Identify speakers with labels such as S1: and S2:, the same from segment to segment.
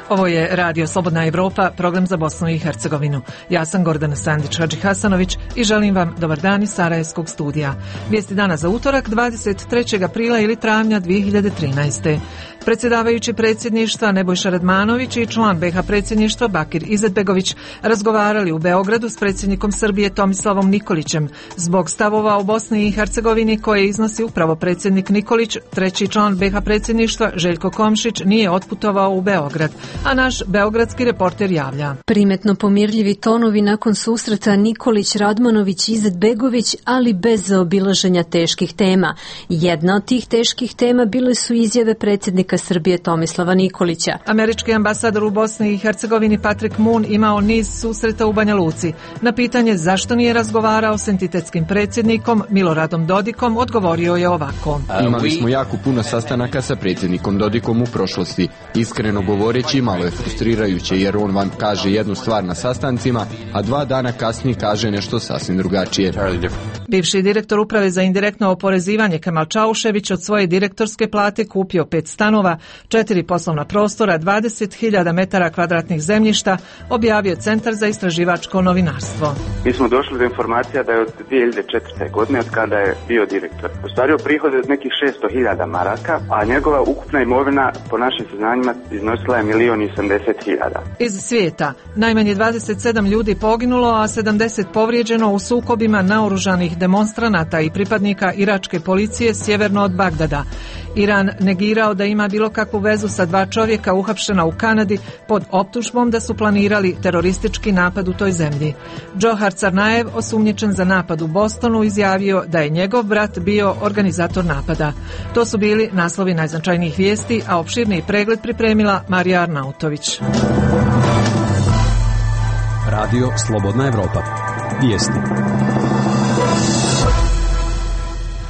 S1: Ovo je Radio Slobodna Evropa, program za Bosnu i Hercegovinu. Ja sam Gordana Sandić-Hadži-Hasanović i želim vam dobar dan iz Sarajevskog studija. Vijesti dana za utorak 23. aprila ili travnja 2013. Predsjedavajući predsjedništva Nebojša Radmanović i član BiH predsjedništva Bakir Izetbegović razgovarali u Beogradu s predsjednikom Srbije Tomislavom Nikolićem zbog stavova o Bosni i Hercegovini koje iznosi upravo predsjednik Nikolić. Treći član BiH predsjedništva Željko Komšić nije otputovao u Beograd, a naš beogradski reporter javlja.
S2: Primetno pomirljivi tonovi nakon susreta Nikolić, Radmanović, Izetbegović, ali bez zaobilaženja teških tema. Jedna od tih teških tema bile su izjave predsjednika Srbije Tomislava Nikolića.
S1: Američki ambasador u Bosni i Hercegovini Patrick Moon imao niz susreta u Banja Luci. Na pitanje zašto nije razgovarao s entitetskim predsjednikom Miloradom Dodikom odgovorio je ovako.
S3: Imali smo jako puno sastanaka sa predsjednikom Dodikom u prošlosti. Iskreno govoreći, malo je frustrirajuće jer on vam kaže jednu stvar na sastancima, a 2 dana kasnije kaže nešto sasvim drugačije.
S1: Bivši direktor uprave za indirektno oporezivanje Kemal Čaušević od svoje direktorske plate kupio 5 stanova, 4 poslovna prostora, 20.000 metara kvadratnih zemljišta, objavio Centar za istraživačko novinarstvo.
S4: Mi smo došli do informacija da je od 2004. godine, od kada je bio direktor, ostvario prihode od nekih 600.000 maraka, a njegova ukupna imovina po našim saznanjima iznosila je 1.080.000.
S1: Iz svijeta najmanje 27 ljudi poginulo, a 70 povrijeđeno u sukobima naoružanih demonstranata i pripadnika iračke policije sjeverno od Bagdada. Iran negirao da ima bilo kakvu vezu sa 2 čovjeka uhapšena u Kanadi pod optužbom da su planirali teroristički napad u toj zemlji. Džohar Carnajev, osumnjičen za napad u Bostonu, izjavio da je njegov brat bio organizator napada. To su bili naslovi najznačajnijih vijesti, a opširniji pregled pripremila Marija Arnautović.
S5: Radio Slobodna Evropa. Vijesti.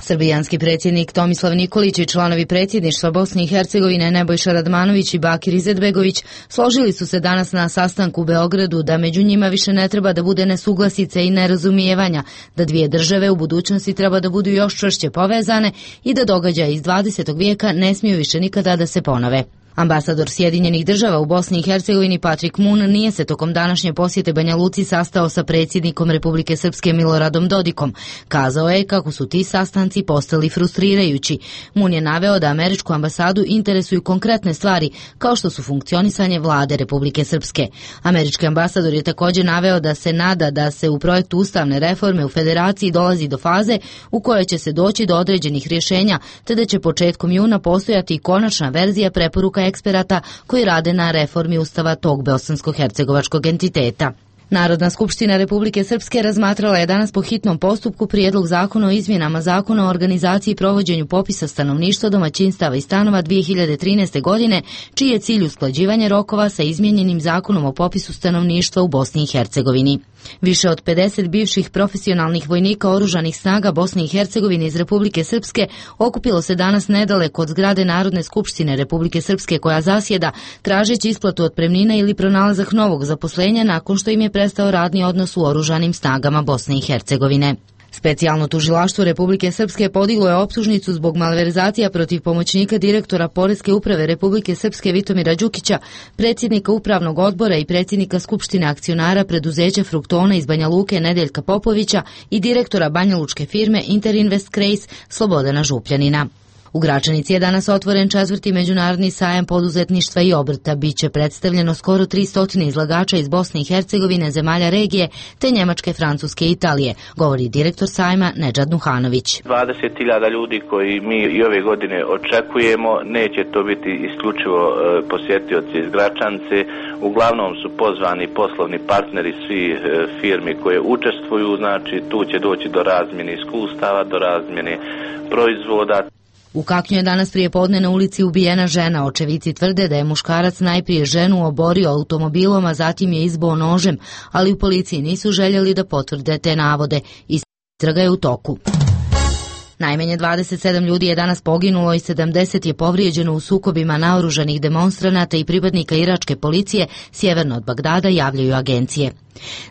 S6: Srbijanski predsjednik Tomislav Nikolić i članovi predsjedništva Bosne i Hercegovine Nebojša Radmanović i Bakir Izetbegović složili su se danas na sastanku u Beogradu da među njima više ne treba da bude nesuglasice i nerazumijevanja, da 2 države u budućnosti treba da budu još čvršće povezane i da događaji iz 20. vijeka ne smiju više nikada da se ponove. Ambasador Sjedinjenih država u Bosni i Hercegovini Patrick Moon nije se tokom današnje posjete Banja Luci sastao sa predsjednikom Republike Srpske Miloradom Dodikom. Kazao je kako su ti sastanci postali frustrirajući. Moon je naveo da američku ambasadu interesuju konkretne stvari kao što su funkcionisanje vlade Republike Srpske. Američki ambasador je također naveo da se nada da se u projektu ustavne reforme u federaciji dolazi do faze u kojoj će se doći do određenih rješenja, te da će početkom juna postojati konačna verzija preporuka eksperata koji rade na reformi ustava tog bosansko-hercegovačkog entiteta. Narodna skupština Republike Srpske razmatrala je danas po hitnom postupku prijedlog zakona o izmjenama zakona o organizaciji i provođenju popisa stanovništva, domaćinstava i stanova 2013. godine, čiji je cilj usklađivanje rokova sa izmijenjenim zakonom o popisu stanovništva u Bosni i Hercegovini. Više od 50 bivših profesionalnih vojnika oružanih snaga Bosne i Hercegovine iz Republike Srpske okupilo se danas nedaleko od zgrade Narodne skupštine Republike Srpske koja zasjeda, tražeći isplatu otpremnina ili pronalazak novog zaposlenja nakon što im je prestao radni odnos u oružanim snagama Bosne i Hercegovine. Specijalno tužilaštvo Republike Srpske podiglo je optužnicu zbog malverzacija protiv pomoćnika direktora Poreske uprave Republike Srpske Vitomira Đukića, predsjednika upravnog odbora i predsjednika skupštine akcionara preduzeća Fruktona iz Banja Luke Nedeljka Popovića i direktora banjalučke firme Interinvest Kreis Slobodana Župljanina. U Gračanici je danas otvoren 4. međunarodni sajam poduzetništva i obrta. Biće predstavljeno skoro 300 izlagača iz Bosne i Hercegovine, zemalja regije, te Njemačke, Francuske i Italije, govori direktor sajma Nedžad Nuhanović.
S7: 20.000 ljudi koji mi i ove godine očekujemo, neće to biti isključivo posjetioci iz Gračanice. Uglavnom su pozvani poslovni partneri svi firmi koje učestvuju, znači tu će doći do razmjene iskustava, do razmjene proizvoda.
S6: U Kaknju je danas prijepodne na ulici ubijena žena. Očevici tvrde da je muškarac najprije ženu oborio automobilom, a zatim je izboo nožem, ali u policiji nisu željeli da potvrde te navode. Istraga je u toku. Najmanje 27 ljudi je danas poginulo i 70 je povrijeđeno u sukobima naoružanih demonstranata i pripadnika iračke policije sjeverno od Bagdada, javljaju agencije.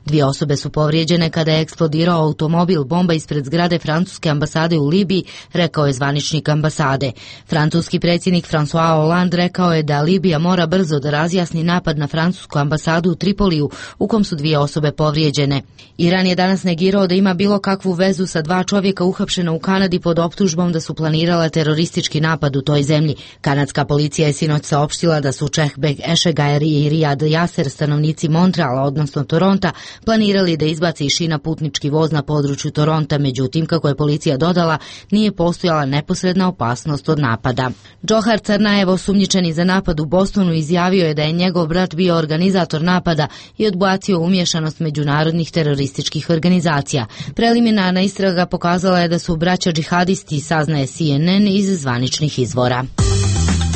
S6: 2 osobe su povrijeđene kada je eksplodirao automobil bomba ispred zgrade francuske ambasade u Libiji, rekao je zvaničnik ambasade. Francuski predsjednik François Hollande rekao je da Libija mora brzo da razjasni napad na francusku ambasadu u Tripoliju, u kom su 2 osobe povrijeđene. Iran je danas negirao da ima bilo kakvu vezu sa 2 čovjeka uhapšena u Kanadi pod optužbom da su planirala teroristički napad u toj zemlji. Kanadska policija je sinoć saopštila da su Čehbek Ešegajer i Rijad Jaser, stanovnici Montreala, odnosno Toronta, planirali da izbaci iz šina putnički voz na području Toronta, međutim, kako je policija dodala, nije postojala neposredna opasnost od napada. Džohar Carnajev, osumnjičeni za napad u Bostonu, izjavio je da je njegov brat bio organizator napada i odbacio umješanost međunarodnih terorističkih organizacija. Preliminarna istraga pokazala je da su braća džihadisti, saznaje CNN iz zvaničnih izvora.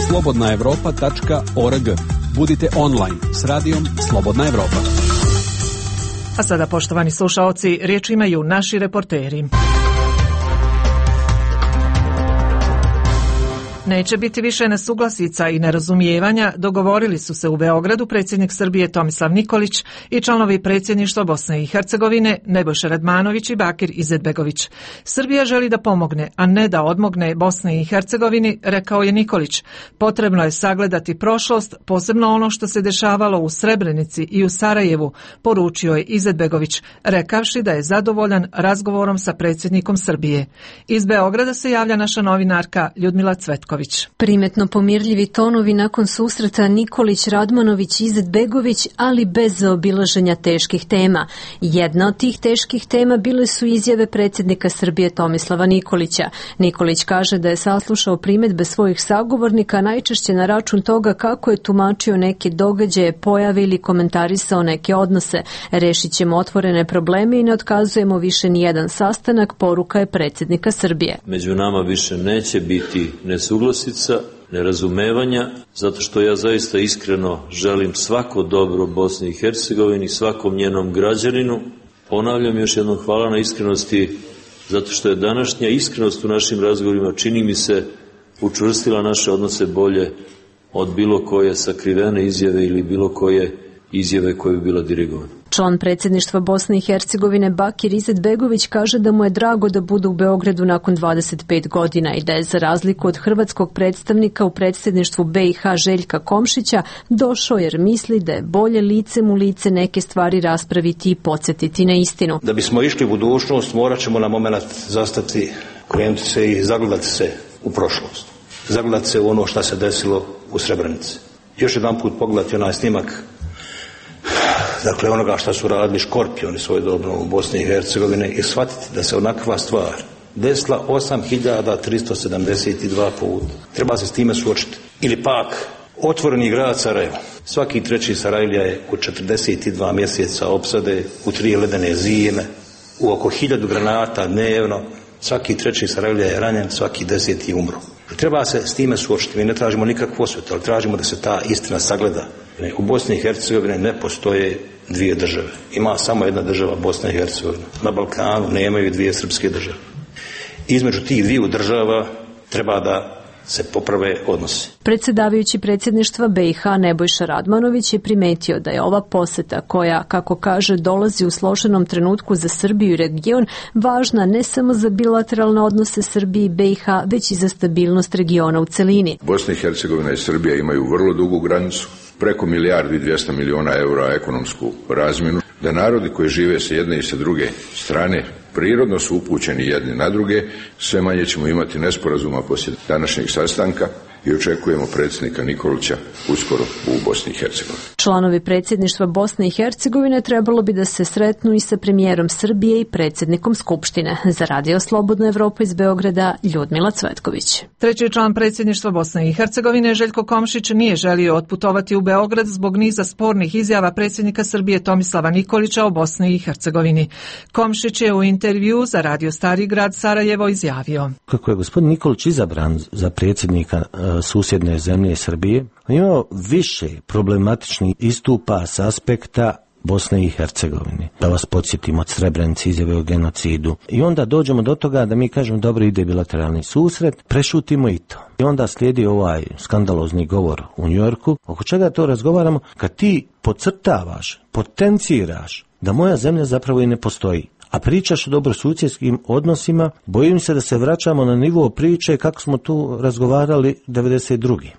S5: slobodnaevropa.org. Budite online s radijom Slobodna Evropa.
S1: A sada, poštovani slušaoci, riječ imaju naši reporteri. Neće biti više nesuglasica i nerazumijevanja, dogovorili su se u Beogradu predsjednik Srbije Tomislav Nikolić i članovi predsjedništva Bosne i Hercegovine Nebojša Radmanović i Bakir Izetbegović. Srbija želi da pomogne, a ne da odmogne Bosni i Hercegovini, rekao je Nikolić. Potrebno je sagledati prošlost, posebno ono što se dešavalo u Srebrenici i u Sarajevu, poručio je Izetbegović, rekavši da je zadovoljan razgovorom sa predsjednikom Srbije. Iz Beograda se javlja naša novinarka Ljudmila Cvetković.
S2: Primetno pomirljivi tonovi nakon susreta Nikolić, Radmanović, Izetbegović, ali bez zaobilaženja teških tema. Jedna od tih teških tema bile su izjave predsjednika Srbije Tomislava Nikolića. Nikolić kaže da je saslušao primjedbe svojih sagovornika najčešće na račun toga kako je tumačio neke događaje, pojave ili komentarisao neke odnose. Rešit ćemo otvorene probleme i ne otkazujemo više nijedan sastanak, poruka je predsjednika Srbije.
S8: Među nama više neće biti nesuglasica, nerazumevanja, zato što ja zaista iskreno želim svako dobro Bosni i Hercegovini, svakom njenom građaninu. Ponavljam još jednom, hvala na iskrenosti, zato što je današnja iskrenost u našim razgovorima, čini mi se, učvrstila naše odnose bolje od bilo koje sakrivene izjave ili bilo koje izjave koje bi bila dirigovana.
S2: Član predsjedništva Bosne i Hercegovine Bakir Izetbegović kaže da mu je drago da bude u Beogradu nakon 25 godina i da je, za razliku od hrvatskog predstavnika u predsjedništvu BiH Željka Komšića, došao jer misli da je bolje licem u lice neke stvari raspraviti i podsjetiti na istinu.
S9: Da bismo išli u budućnost, morat ćemo na moment zastati, krenuti se i zagledati se u prošlost. Zagledati se u ono što se desilo u Srebrenici. Još jedan put pogledati onaj snimak, dakle onoga što su radili Škorpioni svojedobno u Bosni i Hercegovini, i shvatiti da se onakva stvar desila 8372 puta. Treba se s time suočiti. Ili pak otvoreni grad Sarajevo. Svaki treći Sarajlija je u 42 mjeseca opsade, u 3 ledene zime, u oko 1000 granata dnevno. Svaki treći Sarajlija je ranjen, svaki 10. umro. Treba se s time suočiti. Mi ne tražimo nikakvu osvetu, ali tražimo da se ta istina sagleda. U Bosni i Hercegovini ne postoje 2 države. Ima samo jedna država, Bosna i Hercegovina. Na Balkanu nemaju 2 srpske države. Između tih 2 država treba da se poprave odnosi.
S2: Predsjedavajući predsjedništva BiH Nebojša Radmanović je primetio da je ova posjeta, koja, kako kaže, dolazi u složenom trenutku za Srbiju i region, važna ne samo za bilateralne odnose Srbije i BiH, već i za stabilnost regiona u celini.
S10: Bosna i Hercegovina i Srbija imaju vrlo dugu granicu, preko 1.200.000.000 eura ekonomsku razmjenu, da narodi koji žive sa jedne i sa druge strane prirodno su upućeni jedni na druge. Sve manje ćemo imati nesporazuma poslije današnjeg sastanka i očekujemo predsjednika Nikolića uskoro u Bosni i Hercegovini.
S2: Članovi predsjedništva Bosne i Hercegovine trebalo bi da se sretnu i sa premijerom Srbije i predsjednikom Skupštine. Za Radio Slobodna Evropa iz Beograda, Ljudmila Cvetković.
S1: Treći član predsjedništva Bosne i Hercegovine, Željko Komšić, nije želio otputovati u Beograd zbog niza spornih izjava predsjednika Srbije Tomislava Nikolića o Bosni i Hercegovini. Komšić je u intervju za Radio Stari grad Sarajevo izjavio:
S11: kako je gospodin Nikolić izabran za predsjednika susjedne zemlje Srbije, imao više problematičnih istupa s aspekta Bosne i Hercegovine. Da vas podsjetimo od Srebrenice, izjave o genocidu. I onda dođemo do toga da mi kažemo dobro, ide bilateralni susret, prešutimo i to. I onda slijedi ovaj skandalozni govor u Njujorku. Oko čega to razgovaramo? Kad ti podcrtavaš, potenciraš da moja zemlja zapravo i ne postoji. A pričaš o dobrosusjedskim odnosima, bojim se da se vraćamo na nivo priče kako smo tu razgovarali 92.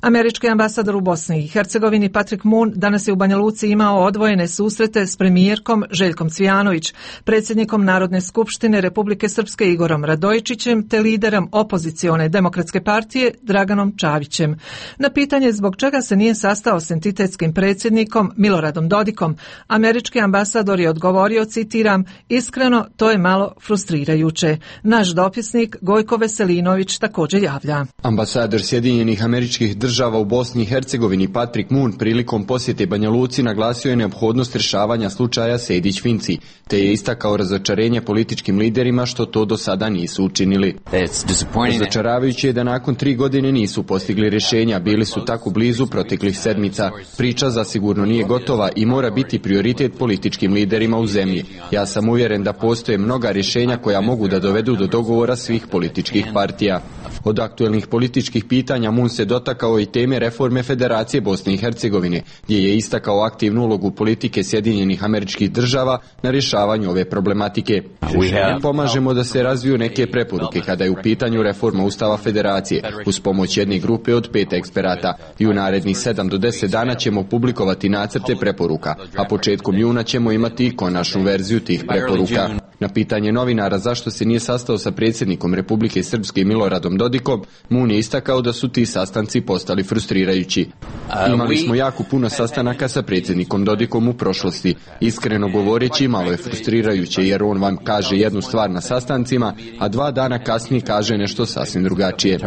S1: Američki ambasador u Bosni i Hercegovini Patrick Moon danas je u Banja Luci imao odvojene susrete s premijerkom Željkom Cvijanović, predsjednikom Narodne skupštine Republike Srpske Igorom Radojičićem te liderom opozicione demokratske partije Draganom Čavićem. Na pitanje zbog čega se nije sastao s entitetskim predsjednikom Miloradom Dodikom, američki ambasador je odgovorio, citiram, iskreno, to je malo frustrirajuće. Naš dopisnik Gojko Veselinović također javlja.
S3: Ambasador Sjedinjenih Američkih Država u Bosni i Hercegovini Patrick Moon prilikom posjete Banja Luci naglasio je neophodnost rješavanja slučaja Sejdić-Finci, te je istakao razočarenje političkim liderima što to do sada nisu učinili. Razočaravajuće je da nakon 3 godine nisu postigli rješenja, bili su tako blizu proteklih sedmica. Priča zasigurno nije gotova i mora biti prioritet političkim liderima u zemlji. Ja sam uvjeren da postoje mnoga rješenja koja mogu da dovedu do dogovora svih političkih partija. Od aktuelnih političkih pitanja Moon se dotakao i teme reforme Federacije Bosne i Hercegovine, gdje je istakao aktivnu ulogu politike Sjedinjenih Američkih Država na rješavanju ove problematike. Mi pomažemo da se razviju neke preporuke kada je u pitanju reforma Ustava Federacije uz pomoć jedne grupe od 5 eksperata i u narednih 7 do 10 dana ćemo publikovati nacrte preporuka, a početkom juna ćemo imati i konačnu verziju tih preporuka. Na pitanje novinara zašto se nije sastao sa predsjednikom Republike Srpske Miloradom Dodikom, Moon je istakao da su ti sastanci postali frustrirajući. Imali smo jako puno sastanaka sa predsjednikom Dodikom u prošlosti. Iskreno govoreći, malo je frustrirajuće jer on vam kaže jednu stvar na sastancima, a 2 dana kasnije kaže nešto sasvim drugačije.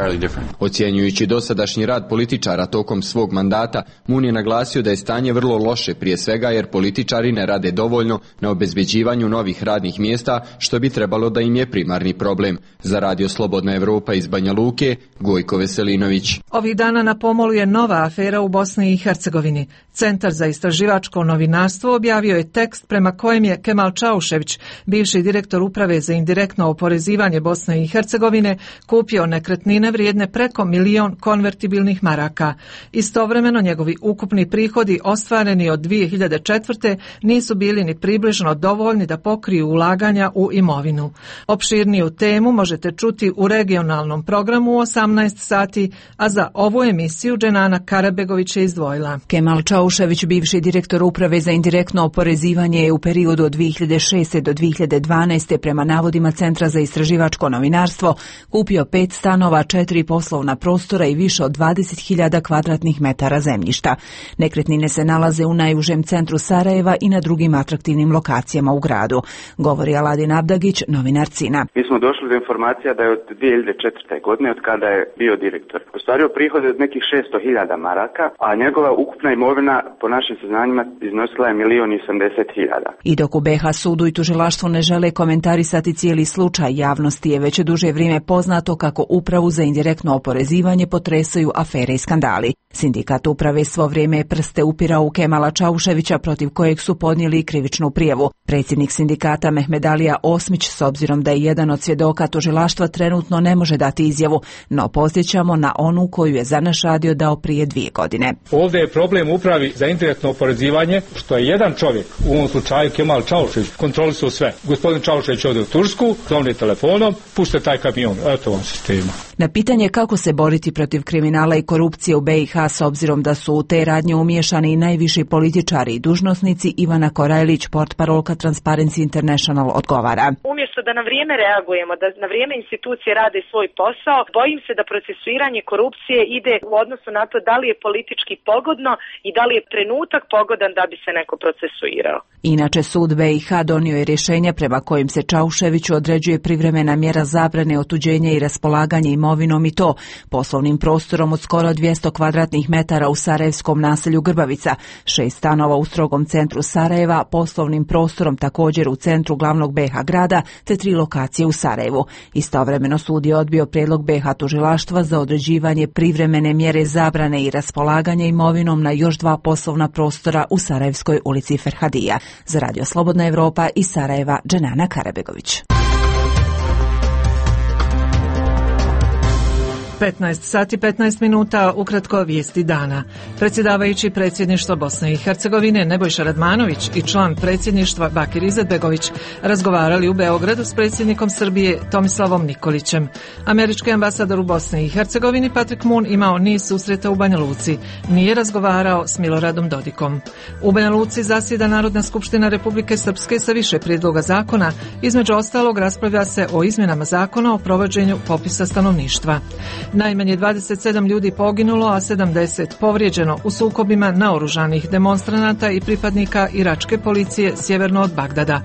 S3: Ocjenjujući dosadašnji rad političara tokom svog mandata, Moon je naglasio da je stanje vrlo loše, prije svega jer političari ne rade dovoljno na obezbeđivanju novih radnih mjesta, što bi trebalo da im je primarni problem. Za Radio Slobodna Evropa iz Banja Luke, Gojko Veselinović.
S1: Ovih dana na pomolu je nova afera u Bosni i Hercegovini. Centar za istraživačko novinarstvo objavio je tekst prema kojem je Kemal Čaušević, bivši direktor Uprave za indirektno oporezivanje Bosne i Hercegovine, kupio nekretnine vrijedne preko 1 milion konvertibilnih maraka. Istovremeno njegovi ukupni prihodi ostvareni od 2004. nisu bili ni približno dovoljni da pokriju ulaganja u imovinu. Opširniju temu možete čuti u regionalnom programu u 18 sati, a za ovu emisiju Dženana Karabegović je izdvojila.
S12: Kemal Čaušević, bivši direktor Uprave za indirektno oporezivanje, je u periodu od 2006. do 2012. prema navodima Centra za istraživačko novinarstvo kupio 5 stanova, 4 poslovna prostora i više od 20.000 kvadratnih metara zemljišta. Nekretnine se nalaze u najužem centru Sarajeva i na drugim atraktivnim lokacijama u gradu. Govori Aladin Abdagić, novinar CINA.
S4: Mi smo došli do informacija da je od 2004. godine, od kada je bio direktor, ostvario prihode od nekih 600.000 maraka, a njegova ukupna imovina po našim saznanjima iznosila je 1.080.000.
S12: I dok u BiH sudu i tužilaštvu ne žele komentarisati cijeli slučaj, javnosti je već duže vrijeme poznato kako Upravu za indirektno oporezivanje potresaju afere i skandali. Sindikat uprave svo vrijeme je prste upirao u Kemala Čauševića, protiv kojeg su podnijeli krivičnu prijavu. Predsjednik sindikata Mehmedalija Osmić, s obzirom da je jedan od svjedoka tužilaštva, trenutno ne može dati izjavu, no podsjećamo na onu koju je za naš radio dao prije 2 godine.
S13: Ovdje je problem Upravi za indirektno oporezivanje, što je jedan čovjek, u ovom slučaju Kemal Čaušević, kontrolisao sve. Gospodin Čaušević ode u Tursku, zovne telefonom, pušte taj kamion, eto vam sistema.
S12: Na pitanje kako se boriti protiv kriminala i korupcije u BiH, s obzirom da su u te radnje umiješani i najviši političari i dužnosnici, Ivana Korajlić, portparolka Transparency International, odgovara.
S14: Umjesto da na vrijeme reagujemo, da na vrijeme institucije rade svoj posao, bojim se da procesuiranje korupcije ide u odnosu na to da li je politički pogodno i da li je trenutak pogodan da bi se neko procesuirao.
S12: Inače, sud BiH donio je rješenje prema kojim se Čauševiću određuje privremena mjera zabrane otuđenja i raspolaganja imovinom, i to poslovnim prostorom od skoro 200 kvadratnih metara u sarajevskom naselju Grbavica, 6 stanova u strogom centru Sarajeva, poslovnim prostorom također u centru glavnog BiH grada, te 3 lokacije u Sarajevu. Istovremeno sud je odbio prijedlog BiH tužilaštva za određivanje privremene mjere zabrane i raspolaganja imovinom na još 2 poslovna prostora u Sarajevskoj ulici Ferhadija. Za Radio Slobodna Evropa iz Sarajeva, Dženana Karabegović.
S1: 15 sati 15 minuta, ukratko vijesti dana. Predsjedavajući predsjedništva Bosne i Hercegovine Nebojša Radmanović i član predsjedništva Bakir Izetbegović razgovarali u Beogradu s predsjednikom Srbije Tomislavom Nikolićem. Američki ambasador u Bosni i Hercegovini Patrick Moon imao niz susreta u Banja Luci. Nije razgovarao s Miloradom Dodikom. U Banja Luci zasjeda Narodna skupština Republike Srpske sa više prijedloga zakona. Između ostalog raspravlja se o izmjenama zakona o provođenju popisa stanovništva. Najmanje 27 ljudi poginulo, a 70 povrijeđeno u sukobima naoružanih demonstranata i pripadnika iračke policije sjeverno od Bagdada.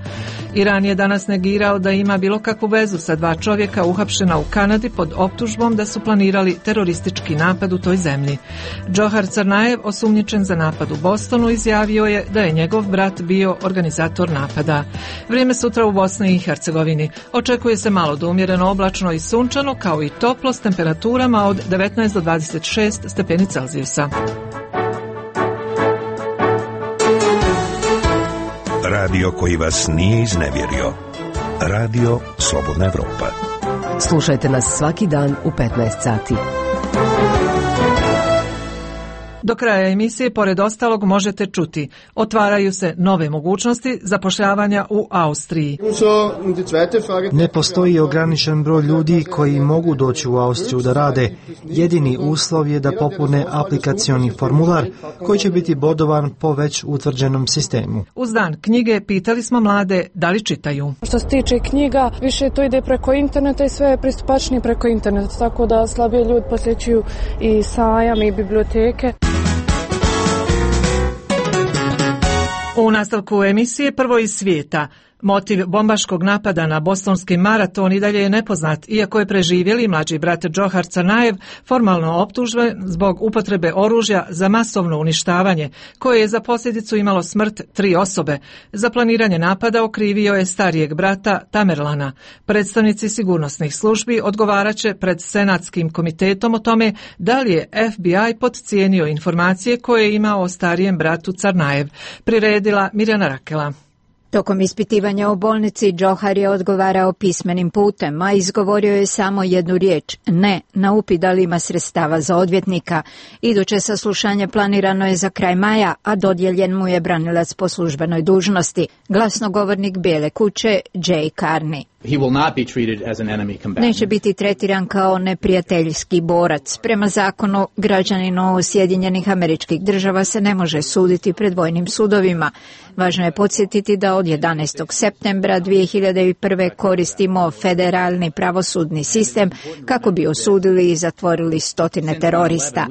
S1: Iran je danas negirao da ima bilo kakvu vezu sa dva čovjeka uhapšena u Kanadi pod optužbom da su planirali teroristički napad u toj zemlji. Džohar Carnajev, osumnjičen za napad u Bostonu, izjavio je da je njegov brat bio organizator napada. Vrijeme sutra u Bosni i Hercegovini. Očekuje se malo do umjereno oblačno i sunčano, kao i toplo s temperaturama od 19 do 26 stepeni Celzijusa.
S15: Radio koji vas nije iznevjerio. Radio Slobodna Evropa.
S16: Slušajte nas svaki dan u 15 sati.
S1: Do kraja emisije, pored ostalog, možete čuti: otvaraju se nove mogućnosti zapošljavanja u Austriji.
S17: Ne postoji ograničen broj ljudi koji mogu doći u Austriju da rade. Jedini uslov je da popune aplikacioni formular koji će biti bodovan po već utvrđenom sistemu.
S1: Uz dan knjige pitali smo mlade da li čitaju.
S18: Što se tiče knjiga, više to ide preko interneta i sve je pristupačnije preko interneta, tako da slabije ljudi posjećuju i sajam i biblioteke.
S1: U nastavku emisije prvo iz svijeta. Motiv bombaškog napada na bostonski maraton i dalje je nepoznat, iako je preživjeli mlađi brat Džohar Carnajev formalno optužen zbog upotrebe oružja za masovno uništavanje, koje je za posljedicu imalo smrt 3 osobe. Za planiranje napada okrivio je starijeg brata Tamerlana. Predstavnici sigurnosnih službi odgovaraće pred Senatskim komitetom o tome da li je FBI podcijenio informacije koje je imao o starijem bratu Carnajev. Priredila Mirjana Rakela.
S19: Tokom ispitivanja u bolnici Džohar je odgovarao pismenim putem, a izgovorio je samo jednu riječ: ne, na upit da li ima sredstava za odvjetnika. Iduće saslušanje planirano je za kraj maja, a dodijeljen mu je branilac po službenoj dužnosti, glasnogovornik Bijele kuće Jay Carney. Neće biti tretiran kao neprijateljski borac. Prema zakonu, građaninu Sjedinjenih Američkih Država se ne može suditi pred vojnim sudovima. Važno je podsjetiti da od 11. septembra 2001. koristimo federalni pravosudni sistem kako bi osudili i zatvorili stotine terorista.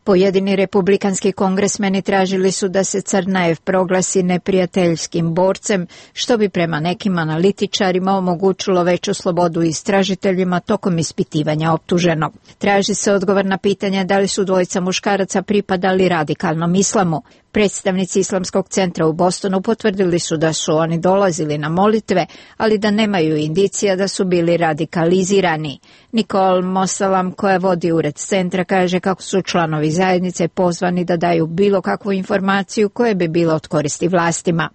S19: Pojedini republikanski kongresmeni tražili su da se Carnajev proglasi neprijateljskim borcem, što bi prema nekim analitičarima omogućilo veću slobodu istražiteljima tokom ispitivanja optuženog. Traži se odgovor na pitanje da li su dvojica muškaraca pripadali radikalnom islamu. Predstavnici Islamskog centra u Bostonu potvrdili su da su oni dolazili na molitve, ali da nemaju indicija da su bili radikalizirani. Nicole Mosalam, koja vodi ured centra, kaže kako su članovi zajednice pozvani da daju bilo kakvu informaciju koja bi bila od koristi vlastima.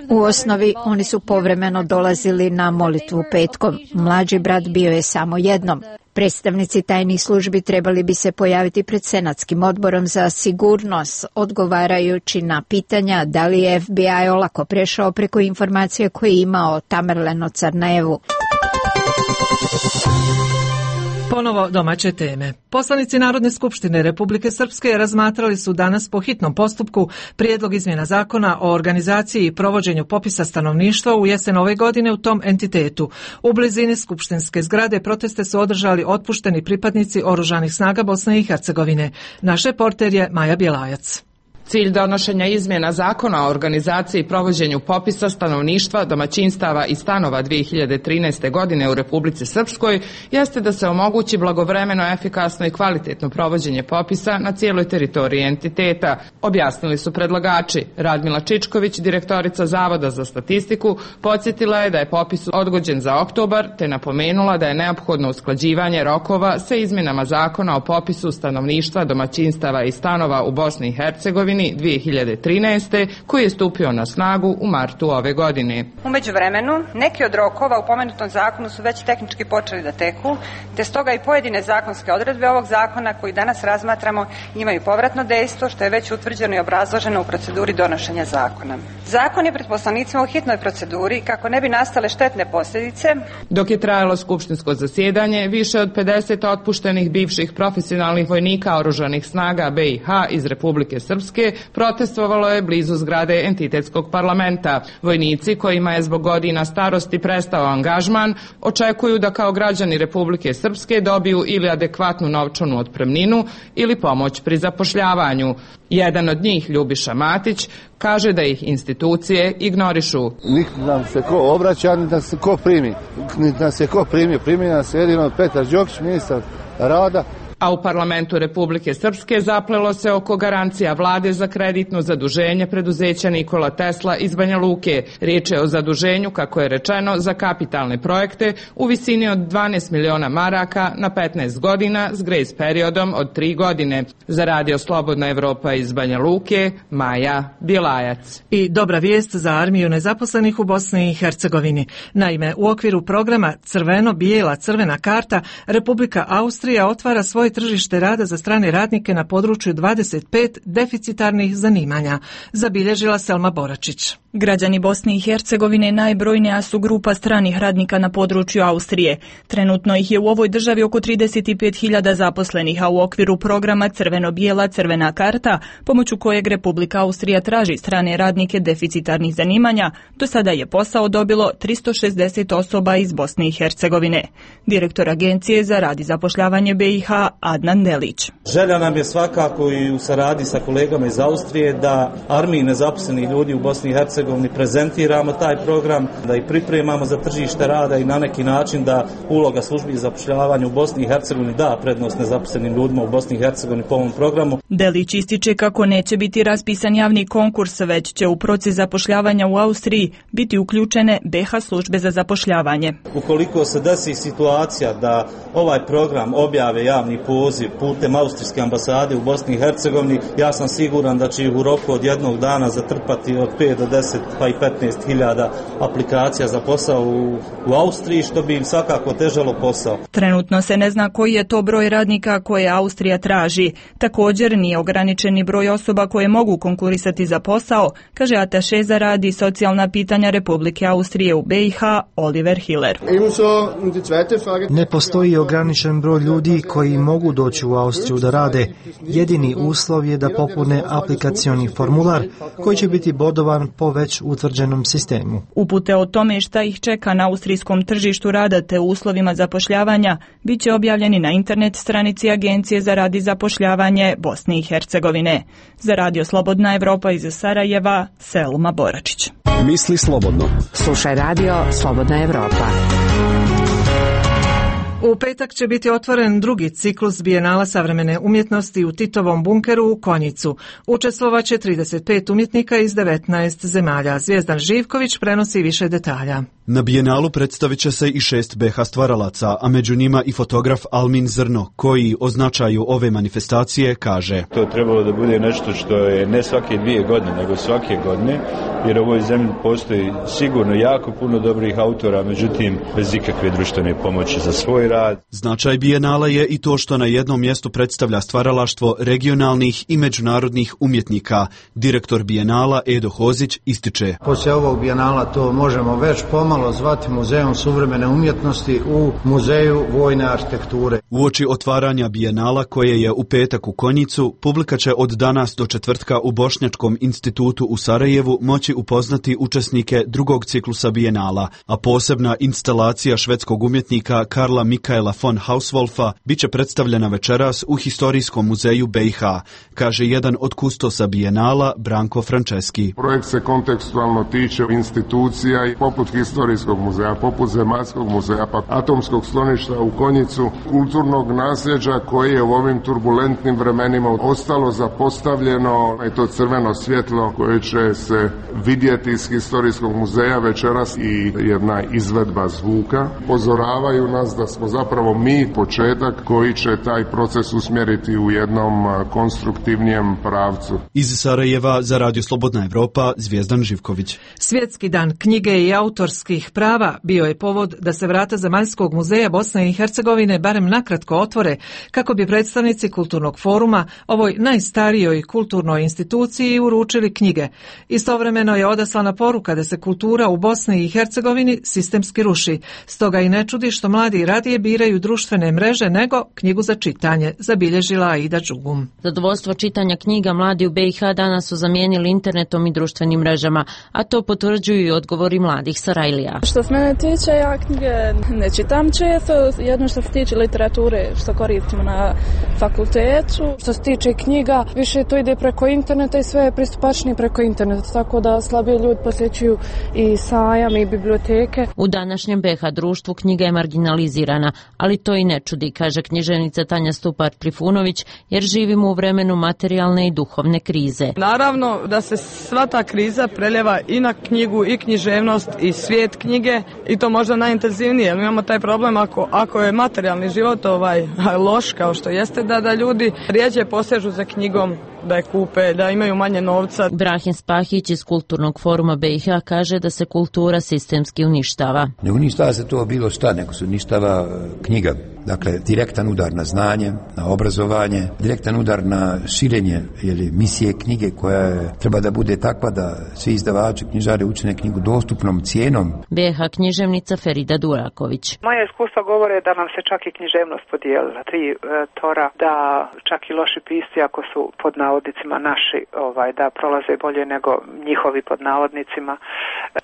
S19: U osnovi oni su povremeno dolazili na molitvu petkom. Mlađi brat bio je samo jednom. Predstavnici tajnih službi trebali bi se pojaviti pred Senatskim odborom za sigurnost, odgovarajući na pitanja da li je FBI olako prešao preko informacije koje je imao o Tamerlanu Carnajevu.
S1: Ponovo domaće teme. Poslanici Narodne skupštine Republike Srpske razmatrali su danas po hitnom postupku prijedlog izmjena zakona o organizaciji i provođenju popisa stanovništva u jesen ove godine u tom entitetu. U blizini skupštinske zgrade proteste su održali otpušteni pripadnici Oružanih snaga Bosne i Hercegovine. Naš reporter je Maja Bjelajac.
S20: Cilj donošenja izmjena zakona o organizaciji i provođenju popisa stanovništva, domaćinstava i stanova 2013. godine u Republici Srpskoj jeste da se omogući blagovremeno, efikasno i kvalitetno provođenje popisa na cijeloj teritoriji entiteta, objasnili su predlagači. Radmila Čičković, direktorica Zavoda za statistiku, podsjetila je da je popis odgođen za oktobar, te napomenula da je neophodno usklađivanje rokova sa izmjenama zakona o popisu stanovništva, domaćinstava i stanova u Bosni i Hercegovini godini 2013. koji je stupio na snagu u martu ove godine.
S21: U međuvremenu, neki od rokova u pomenutom zakonu su već tehnički počeli da teku, te stoga i pojedine zakonske odredbe ovog zakona koji danas razmatramo imaju povratno dejstvo, što je već utvrđeno i obrazloženo u proceduri donošenja zakona. Zakon je pred poslanicima u hitnoj proceduri kako ne bi nastale štetne posljedice.
S20: Dok je trajalo skupštinsko zasjedanje, više od 50 otpuštenih bivših profesionalnih vojnika oružanih snaga BiH iz Republike Srpske protestovalo je blizu zgrade entitetskog parlamenta. Vojnici kojima je zbog godina starosti prestao angažman očekuju da kao građani Republike Srpske dobiju ili adekvatnu novčanu otpremninu ili pomoć pri zapošljavanju. Jedan od njih, Ljubiša Matić, kaže da ih institucije ignorišu.
S22: Niti nam se ko obraća, niti nam se ko primi. Niti nam se ko primi nas jedino Petar Đokić, ministar rada.
S20: A u parlamentu Republike Srpske zaplelo se oko garancija vlade za kreditno zaduženje preduzeća Nikola Tesla iz Banja Luke. Riječ je o zaduženju, kako je rečeno, za kapitalne projekte u visini od 12 miliona maraka na 15 godina s grace periodom od 3 godine. Za Radio Slobodna Evropa iz Banja Luke, Maja Bilajac.
S1: I dobra vijest za armiju nezaposlenih u Bosni i Hercegovini. Naime, u okviru programa Crveno-bijela crvena karta, Republika Austrija otvara svoje tržište rada za strane radnike na području 25 deficitarnih zanimanja, zabilježila Selma Boračić.
S23: Građani Bosne i Hercegovine najbrojnija su grupa stranih radnika na području Austrije. Trenutno ih je u ovoj državi oko 35.000 zaposlenih, a u okviru programa Crveno-bijela crvena karta, pomoću kojeg Republika Austrija traži strane radnike deficitarnih zanimanja, do sada je posao dobilo 360 osoba iz Bosne i Hercegovine. Direktor Agencije za rad i zapošljavanje BiH Adnan Delić.
S24: Želja nam je svakako i u saradnji sa kolegama iz Austrije da armiji nezaposlenih ljudi u Bosni i Hercegovini prezentiramo taj program, da ih pripremamo za tržište rada i na neki način da uloga službi za zapošljavanje u Bosni i Hercegovini da prednost nezaposlenim ljudima u Bosni i Hercegovini po ovom programu.
S23: Delić ističe kako neće biti raspisan javni konkurs, već će u proces zapošljavanja u Austriji biti uključene BiH službe za zapošljavanje.
S24: Ukoliko se desi situacija da ovaj program objave javni poziv putem austrijske ambasade u Bosni i Hercegovini, ja sam siguran da će ih u roku od jednog dana zatrpati od 5 do 10 pa i 15.000 aplikacija za posao u Austriji, što bi im svakako težalo posao.
S23: Trenutno se ne zna koji je to broj radnika koje Austrija traži. Također nije ograničeni broj osoba koje mogu konkurisati za posao, kaže ataše za rad i socijalna pitanja Republike Austrije u BiH Oliver Hiller.
S17: Ne postoji ograničen broj ljudi koji mogu doći u Austriju da rade. Jedini uslov je da popune aplikacioni formular koji će biti bodovan po već utvrđenom sistemu.
S23: Upute o tome šta ih čeka na austrijskom tržištu rada te uslovima zapošljavanja bit će objavljeni na internet stranici Agencije za rad i zapošljavanje Bosne i Hercegovine. Za Radio Slobodna Evropa iz Sarajeva, Selma Boračić.
S5: Misli slobodno.
S16: Slušaj Radio Slobodna Evropa.
S1: U petak će biti otvoren drugi ciklus Bijenala savremene umjetnosti u Titovom bunkeru u Konjicu. Učestvovaće 35 umjetnika iz 19 zemalja. Zvijezdan Živković prenosi više detalja.
S25: Na Bijenalu predstavit će se i 6 BiH stvaralaca, a među njima i fotograf Almin Zrno, koji o značaju ove manifestacije kaže:
S26: To je trebalo da bude nešto što je ne svake 2 godine, nego svake godine, jer u ovoj zemlji postoji sigurno jako puno dobrih autora, međutim bez ikakve društvene pomoći za svoj rad.
S25: Značaj Bijenala je i to što na jednom mjestu predstavlja stvaralaštvo regionalnih i međunarodnih umjetnika. Direktor Bijenala Edo Hozić ističe:
S27: Poslije ovog Bijenala to možemo već pomalo zvati Muzejom suvremene umjetnosti u Muzeju vojne arhitekture.
S25: Uoči otvaranja Bijenala, koje je u petak u Konjicu, publika će od danas do četvrtka u Bošnjačkom institutu u Sarajevu moći upoznati učesnike drugog ciklusa Bijenala, a posebna instalacija švedskog umjetnika Karla Mikaela von Hauswolfa bit će predstavljena večeras u Historijskom muzeju BiH, kaže jedan od kustosa Bijenala, Branko Franceski.
S28: Projekt se kontekstualno tiče institucija i poput Historijskog
S2: historijskog muzeja, poput Zemaljskog muzeja, pa atomskog skloništa u Konjicu, kulturnog nasljeđa koji je u ovim turbulentnim vremenima ostalo zapostavljeno, i to crveno svjetlo koje će se vidjeti iz historijskog muzeja večeras i jedna izvedba zvuka. Pozoravaju nas da smo zapravo mi početak koji će taj proces usmjeriti u jednom konstruktivnijem pravcu.
S25: Iz Sarajeva za Radio Slobodna Evropa, Zvijezdan Živković.
S1: Svjetski dan knjige i autorskih prava bio je povod da se vrata Zemaljskog muzeja Bosne i Hercegovine barem nakratko otvore kako bi predstavnici Kulturnog foruma ovoj najstarijoj kulturnoj instituciji uručili knjige. Istovremeno je odaslana poruka da se kultura u Bosni i Hercegovini sistemski ruši. Stoga i ne čudi što mladi radije biraju društvene mreže nego knjigu za čitanje, zabilježila Aida Đugum.
S6: Zadovoljstvo čitanja knjiga mladi u BiH danas su zamijenili internetom i društvenim mrežama, a to potvrđuju i odgovori mladih Sarajlija.
S18: Što se mene tiče, ja knjige ne čitam često, jedno što se tiče literature što koristimo na fakultetu. Što se tiče knjiga, više to ide preko interneta i sve je pristupačnije preko interneta, tako da slabije ljudi posjećuju i sajam i biblioteke.
S6: U današnjem BiH društvu knjiga je marginalizirana, ali to i ne čudi, kaže književnica Tanja Stupar-Trifunović, jer živimo u vremenu materijalne i duhovne krize.
S7: Naravno da se sva ta kriza preljeva i na knjigu i književnost i svijet knjige i to možda najintenzivnije. Mi imamo taj problem ako je materijalni život loš kao što jeste, da ljudi rijeđe posežu za knjigom, da je kupe, da imaju manje novca.
S6: Brahim Spahić iz Kulturnog foruma BiH kaže da se kultura sistemski uništava.
S8: Ne uništava se to bilo šta, nego se uništava knjiga. Dakle, direktan udar na znanje, na obrazovanje, direktan udar na širenje misije knjige koja treba da bude takva da svi izdavači, knjižari učine knjigu dostupnom cijenom.
S6: BiH književnica Ferida Duraković.
S9: Moje iskustva govore da nam se čak i književnost podijelila. 3 tora, da čak i loši pisci ako su pod navodnicima naši, da prolaze bolje nego njihovi pod navodnicima.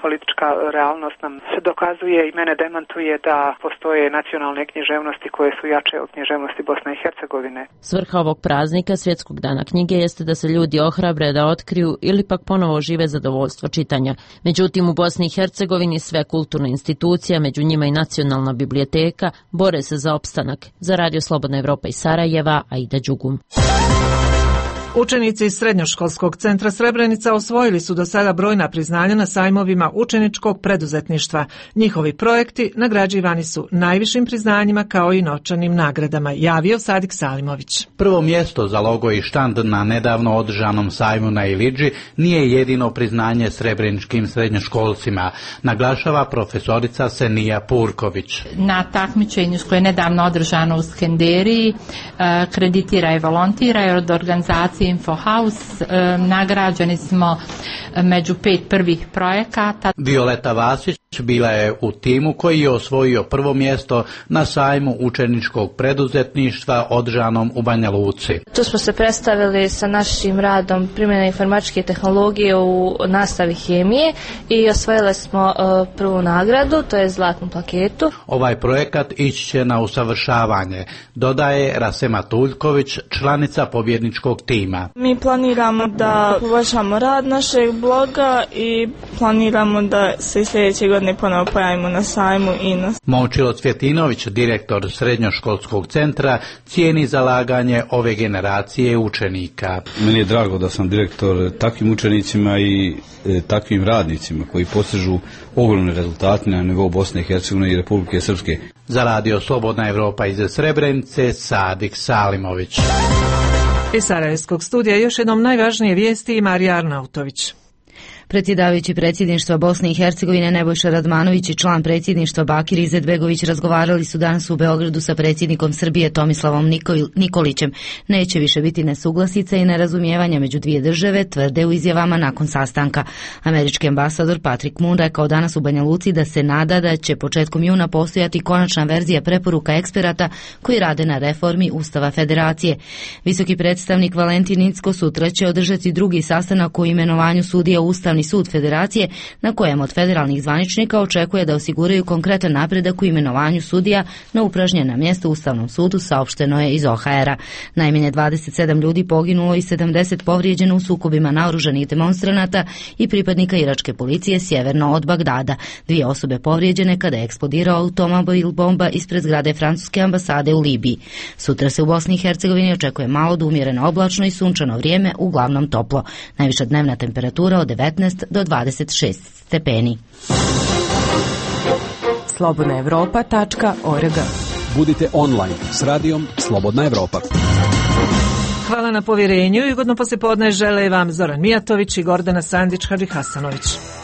S9: Politička realnost nam se dokazuje i mene demantuje da postoje nacionalne književnosti koje su jače od književnosti Bosne i Hercegovine.
S6: Svrha ovog praznika, Svjetskog dana knjige, jeste da se ljudi ohrabre da otkriju ili pak ponovo žive zadovoljstvo čitanja. Međutim, u Bosni i Hercegovini sve kulturne institucije, među njima i Nacionalna biblioteka, bore se za opstanak. Za Radio Slobodna Evropa iz Sarajeva, Aida Đugum.
S1: Učenici iz Srednjoškolskog centra Srebrenica osvojili su do sada brojna priznanja na sajmovima učeničkog preduzetništva. Njihovi projekti nagrađivani su najvišim priznanjima kao i novčanim nagradama, javio Sadik Salimović.
S10: Prvo mjesto za logo i štand na nedavno održanom sajmu na Ilidži nije jedino priznanje srebreničkim srednjoškolcima, naglašava profesorica Senija Purković.
S11: Na takmičenju koje je nedavno održano u Skenderiji kreditira i volontira od organizacije Infohouse, nagrađeni smo među 5 prvih projekata.
S10: Violeta Vasić bila je u timu koji je osvojio prvo mjesto na sajmu učeničkog preduzetništva održanom u Banja Luci.
S28: Tu smo se predstavili sa našim radom primjene informatičke tehnologije u nastavi hemije i osvojili smo prvu nagradu, to je zlatnu plaketu.
S10: Ovaj projekat ići će na usavršavanje, dodaje Rasema Tuljković, članica pobjedničkog tima.
S29: Mi planiramo da poboljšamo rad našeg bloga i planiramo da se sljedeće godine ponovo pojavimo na sajmu INOS.
S10: Momčilo Cvjetinović, direktor Srednjoškolskog centra, cijeni zalaganje ove generacije učenika.
S30: Meni je drago da sam direktor takvim učenicima i takvim radnicima koji postižu ogromne rezultate na nivou Bosne i Hercegovine i Republike Srpske.
S10: Za Radio Slobodna Evropa iz Srebrenice, Sadik Salimović.
S1: Iz Sarajevskog studija još jednom najvažnije vijesti i Marija Arnautović.
S30: Predsjedavajući predsjedništva Bosne i Hercegovine Nebojša Radmanović i član predsjedništva Bakir Izetbegović razgovarali su danas u Beogradu sa predsjednikom Srbije Tomislavom Nikolićem. Neće više biti nesuglasica i nerazumijevanja među dvije države, tvrde u izjavama nakon sastanka. Američki ambasador Patrick Moon rekao danas u Banja Luci da se nada da će početkom juna postojati konačna verzija preporuka eksperata koji rade na reformi Ustava Federacije. Visoki predstavnik Valentin Incko sutra će održati drugi sastanak o imenovanju sudija Ustavni Vrhovni sud Federacije, na kojem od federalnih zvaničnika očekuje da osiguraju konkretan napredak u imenovanju sudija na upražnjena mjesta u Ustavnom sudu, saopšteno je iz OHR-a. Najmanje 27 ljudi poginulo i 70 povrijeđeno u sukobima naoružanih demonstranata i pripadnika iračke policije sjeverno od Bagdada. 2 osobe povrijeđene kada je eksplodirao automobil bomba ispred zgrade francuske ambasade u Libiji. Sutra se u Bosni i Hercegovini očekuje malo do umjereno oblačno i sunčano vrijeme, uglavnom toplo. Najviša dnevna temperatura od 19 do 26 stepeni.
S16: slobodnaevropa.org.
S5: Budite online s radijom Slobodna Evropa.
S1: Hvala na povjerenju i ugodno poslijepodne žele vam Zoran Mijatović i Gordana Sandić-Hadžihasanović.